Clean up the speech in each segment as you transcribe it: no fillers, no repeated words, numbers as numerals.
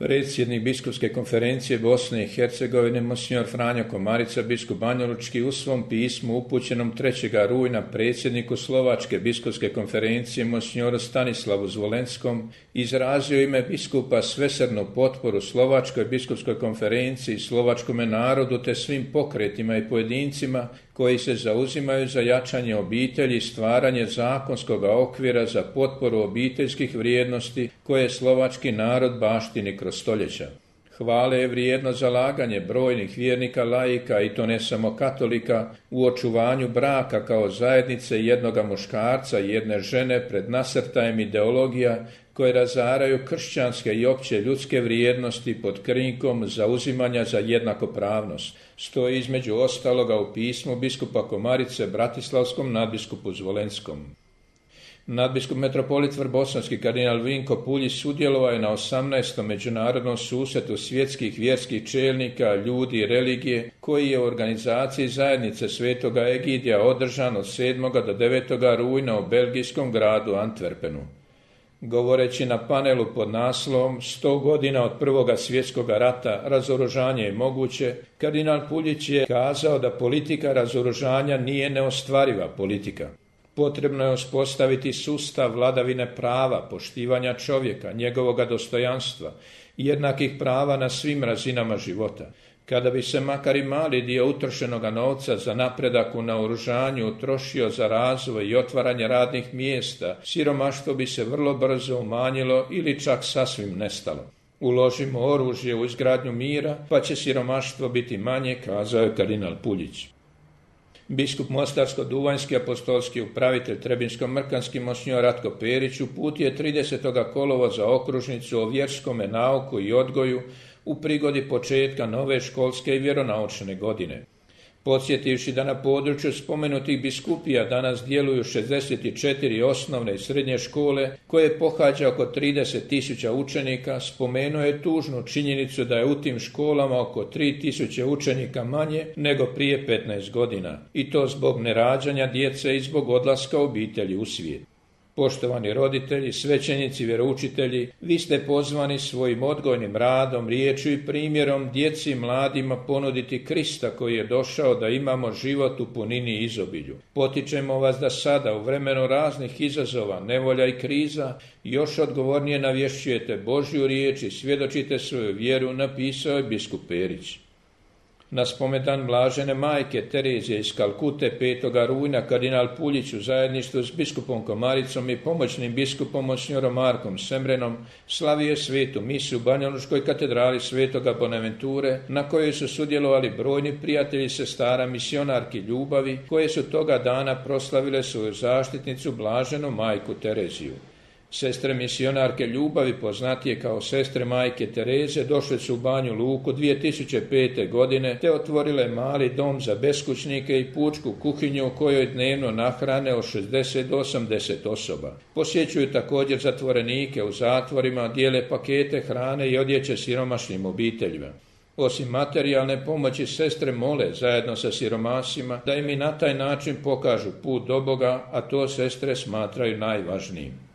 Predsjednik Biskupske konferencije Bosne i Hercegovine, monsignor Franjo Komarica, biskup banjalučki, u svom pismu upućenom 3. rujna predsjedniku Slovačke biskupske konferencije, monsignoru Stanislavu Zvolenskom, izrazio ime biskupa svesrdnu potporu Slovačkoj biskupskoj konferenciji i slovačkome narodu te svim pokretima i pojedincima koji se zauzimaju za jačanje obitelji i stvaranje zakonskog okvira za potporu obiteljskih vrijednosti koje slovački narod baštini kroz stoljeća. Hvale je vrijedno zalaganje brojnih vjernika laika, i to ne samo katolika, u očuvanju braka kao zajednice jednoga muškarca i jedne žene pred nasrtajem ideologija koje razaraju kršćanske i opće ljudske vrijednosti pod krinkom zauzimanja za jednakopravnost. Stoji između ostaloga u pismu biskupa Komarice Bratislavskom nadbiskupu Zvolenskom. Nadbiskup metropolit Vrbosanski kardinal Vinko Puljić sudjelovao je na 18. međunarodnom susretu svjetskih vjerskih čelnika, ljudi i religije, koji je u organizaciji zajednice Svetoga Egidija održan od 7. do 9. rujna u belgijskom gradu Antwerpenu. Govoreći na panelu pod naslovom 100 godina od Prvog svjetskog rata, razoružanje je moguće, kardinal Puljić je kazao da politika razoružanja nije neostvariva politika. Potrebno je uspostaviti sustav vladavine prava, poštivanja čovjeka, njegovoga dostojanstva i jednakih prava na svim razinama života. Kada bi se makar i mali dio utrošenoga novca za napredak u naoružanju utrošio za razvoj i otvaranje radnih mjesta, siromaštvo bi se vrlo brzo umanjilo ili čak sasvim nestalo. Uložimo oružje u izgradnju mira, pa će siromaštvo biti manje, kazao je kardinal Puljić. Biskup Mostarsko-Duvanjski apostolski upravitelj Trebinsko-Mrkanski monsignor Ratko Perić uputio je 30. kolovoza okružnicu o vjerskome nauku i odgoju u prigodi početka nove školske i vjeronaučne godine. Podsjetivši da na području spomenutih biskupija danas djeluju 64 osnovne i srednje škole koje pohađa oko 30.000 učenika, spomenuo je tužnu činjenicu da je u tim školama oko 3.000 učenika manje nego prije 15 godina, i to zbog nerađanja djece i zbog odlaska obitelji u svijet. Poštovani roditelji, svećenici, vjeroučitelji, vi ste pozvani svojim odgojnim radom, riječju i primjerom djeci i mladima ponuditi Krista koji je došao da imamo život u punini i izobilju. Potičemo vas da sada, u vremenu raznih izazova, nevolja i kriza, još odgovornije navješćujete Božju riječ i svjedočite svoju vjeru, napisao je biskup Perić. Na spomendan blažene majke Terezije iz Kalkute 5. rujna kardinal Puljić u zajedništvu s biskupom Komaricom i pomoćnim biskupom monsignorom Markom Semrenom slavio svetu misu u Banjalučkoj katedrali Svetoga Bonaventure, na kojoj su sudjelovali brojni prijatelji sestara misionarki ljubavi, koje su toga dana proslavile svoju zaštitnicu blaženu majku Tereziju. Sestre misionarke ljubavi, poznatije kao sestre majke Tereze, došle su u Banju Luku 2005. godine te otvorile mali dom za beskućnike i pučku kuhinju u kojoj dnevno nahrane od 60 do 80 osoba. Posjećuju također zatvorenike u zatvorima, dijele pakete hrane i odjeće siromašnim obiteljima. Osim materijalne pomoći, sestre mole zajedno sa siromasima da im i na taj način pokažu put do Boga, a to sestre smatraju najvažnijim.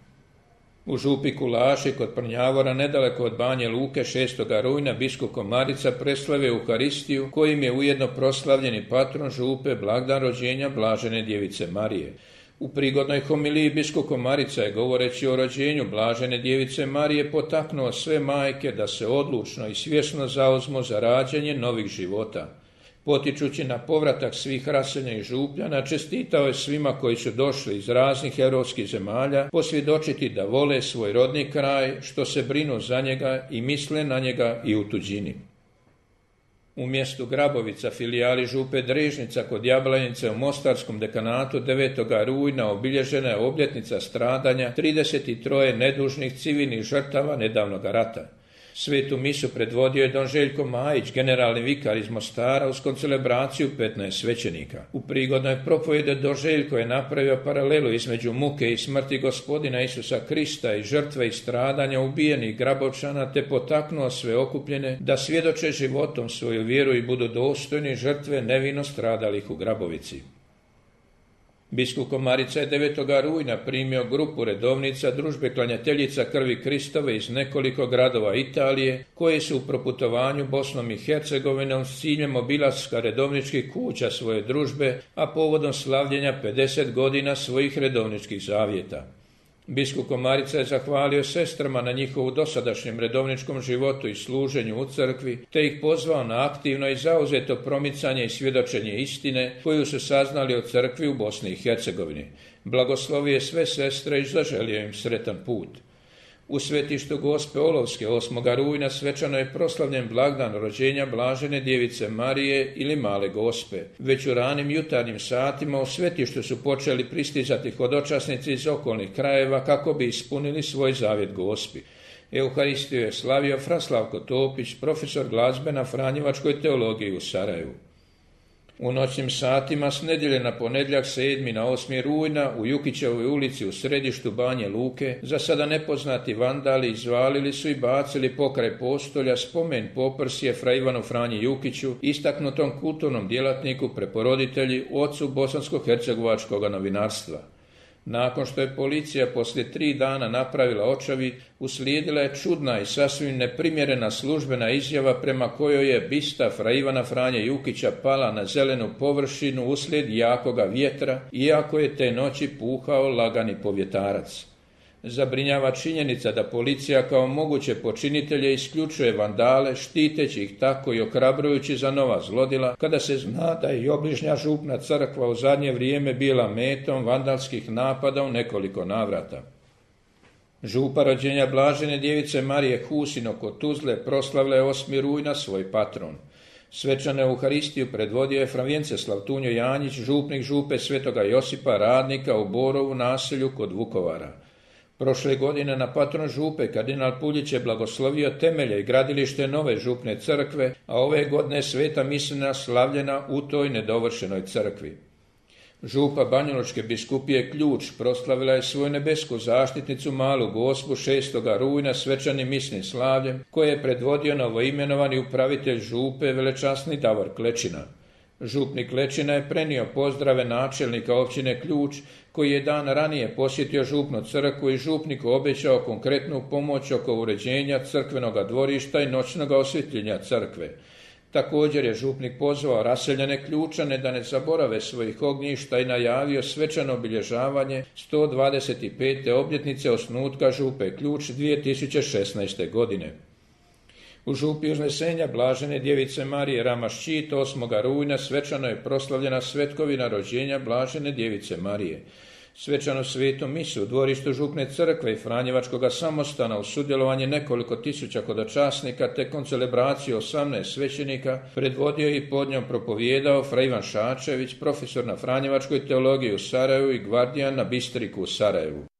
U župi Kulaši kod Prnjavora, nedaleko od Banje Luke, 6. rujna biskup Komarica preslavio Euharistiju, kojim je ujedno proslavljeni patron župe blagdan rođenja blažene djevice Marije. U prigodnoj homiliji biskup Komarica je, govoreći o rođenju blažene djevice Marije, potaknuo sve majke da se odlučno i svjesno zauzmu za rađanje novih života. Potičući na povratak svih raseljenih župljana, čestitao je svima koji su došli iz raznih europskih zemalja posvjedočiti da vole svoj rodni kraj, što se brinu za njega i misle na njega i u tuđini. U mjestu Grabovica, filijali župe Drežnica kod Jablanice u Mostarskom dekanatu 9. rujna obilježena je obljetnica stradanja 33 nedužnih civilnih žrtava nedavnog rata. Svetu misu predvodio je don Željko Majić, generalni vikar iz Mostara, uz koncelebraciju 15 svećenika. U prigodnoj propovjedi don Željko je napravio paralelu između muke i smrti Gospodina Isusa Krista i žrtve i stradanja ubijenih Grabovčana, te potaknuo sve okupljene da svjedoče životom svoju vjeru i budu dostojni žrtve nevino stradalih u Grabovici. Biskup Komarica je 9. rujna primio grupu redovnica družbe klanjateljica krvi Kristove iz nekoliko gradova Italije, koje su u proputovanju Bosnom i Hercegovinom s ciljem obilaska redovničkih kuća svoje družbe, a povodom slavljenja 50 godina svojih redovničkih zavjeta. Biskup Komarica je zahvalio sestrama na njihovu dosadašnjem redovničkom životu i služenju u crkvi, te ih pozvao na aktivno i zauzeto promicanje i svjedočenje istine koju su saznali o crkvi u Bosni i Hercegovini. Blagoslovio je sve sestre i zaželio im sretan put. U svetištu Gospe Olovske 8. rujna svečano je proslavljen blagdan rođenja Blažene Djevice Marije ili Male Gospe. Već u ranim jutarnjim satima u svetištu su počeli pristizati hodočasnici iz okolnih krajeva kako bi ispunili svoj zavjet Gospi. Euharistiju je slavio fra Slavko Topić, profesor glazbe na Franjevačkoj teologiji u Sarajevu. U noćnim satima s nedjelje na ponedjeljak 7. na 8. rujna u Jukićevoj ulici u središtu Banje Luke za sada nepoznati vandali izvalili su i bacili pokraj postolja spomen poprsje fra Ivanu Franji Jukiću, istaknutom kulturnom djelatniku, preporoditelji, ocu bosansko-hercegovačkog novinarstva. Nakon što je policija poslije 3 dana napravila očavid, uslijedila je čudna i sasvim neprimjerena službena izjava prema kojoj je bista fra Ivana Franje Jukića pala na zelenu površinu uslijed jakoga vjetra, iako je te noći puhao lagani povjetarac. Zabrinjava činjenica da policija kao moguće počinitelje isključuje vandale, štiteći ih tako i ohrabrujući za nova zlodjela, kada se zna da je i obližnja župna crkva u zadnje vrijeme bila metom vandalskih napada u nekoliko navrata. Župa rođenja Blažene Djevice Marije Husino kod Tuzle proslavila je 8. rujna svoj patron. Svečanu Euharistiju predvodio je fra Vjenceslav Tunjo Janjić, župnik župe Svetoga Josipa Radnika u Borovu naselju kod Vukovara. Prošle godine na patron župe kardinal Puljić je blagoslovio temelje i gradilište nove župne crkve, a ove godine sveta misija slavljena u toj nedovršenoj crkvi. Župa Banjalučke biskupije Ključ proslavila je svoju nebesku zaštitnicu Malu Gospu 6. rujna svečanim misnim slavljem, koje je predvodio novoimenovani upravitelj župe velečasni Davor Klečina. Župnik Klečina je prenio pozdrave načelnika općine Ključ, koji je dan ranije posjetio župnu crkvu i župniku obećao konkretnu pomoć oko uređenja crkvenoga dvorišta i noćnog osvjetljenja crkve. Također je župnik pozvao raseljene Ključane da ne zaborave svojih ognjišta i najavio svečano obilježavanje 125. obljetnice osnutka župe Ključ 2016. godine. U župi Uznesenja Blažene Djevice Marije Ramaščit 8. rujna svečano je proslavljena svetkovina rođenja Blažene Djevice Marije. Svečanu svetu misu u dvorištu župne crkve i Franjevačkoga samostana uz sudjelovanje nekoliko tisuća hodočasnika te koncelebraciju 18 svećenika predvodio i pod njom propovijedao fra Ivan Šačević, profesor na Franjevačkoj teologiji u Sarajevu i gvardijan na Bistriku u Sarajevu.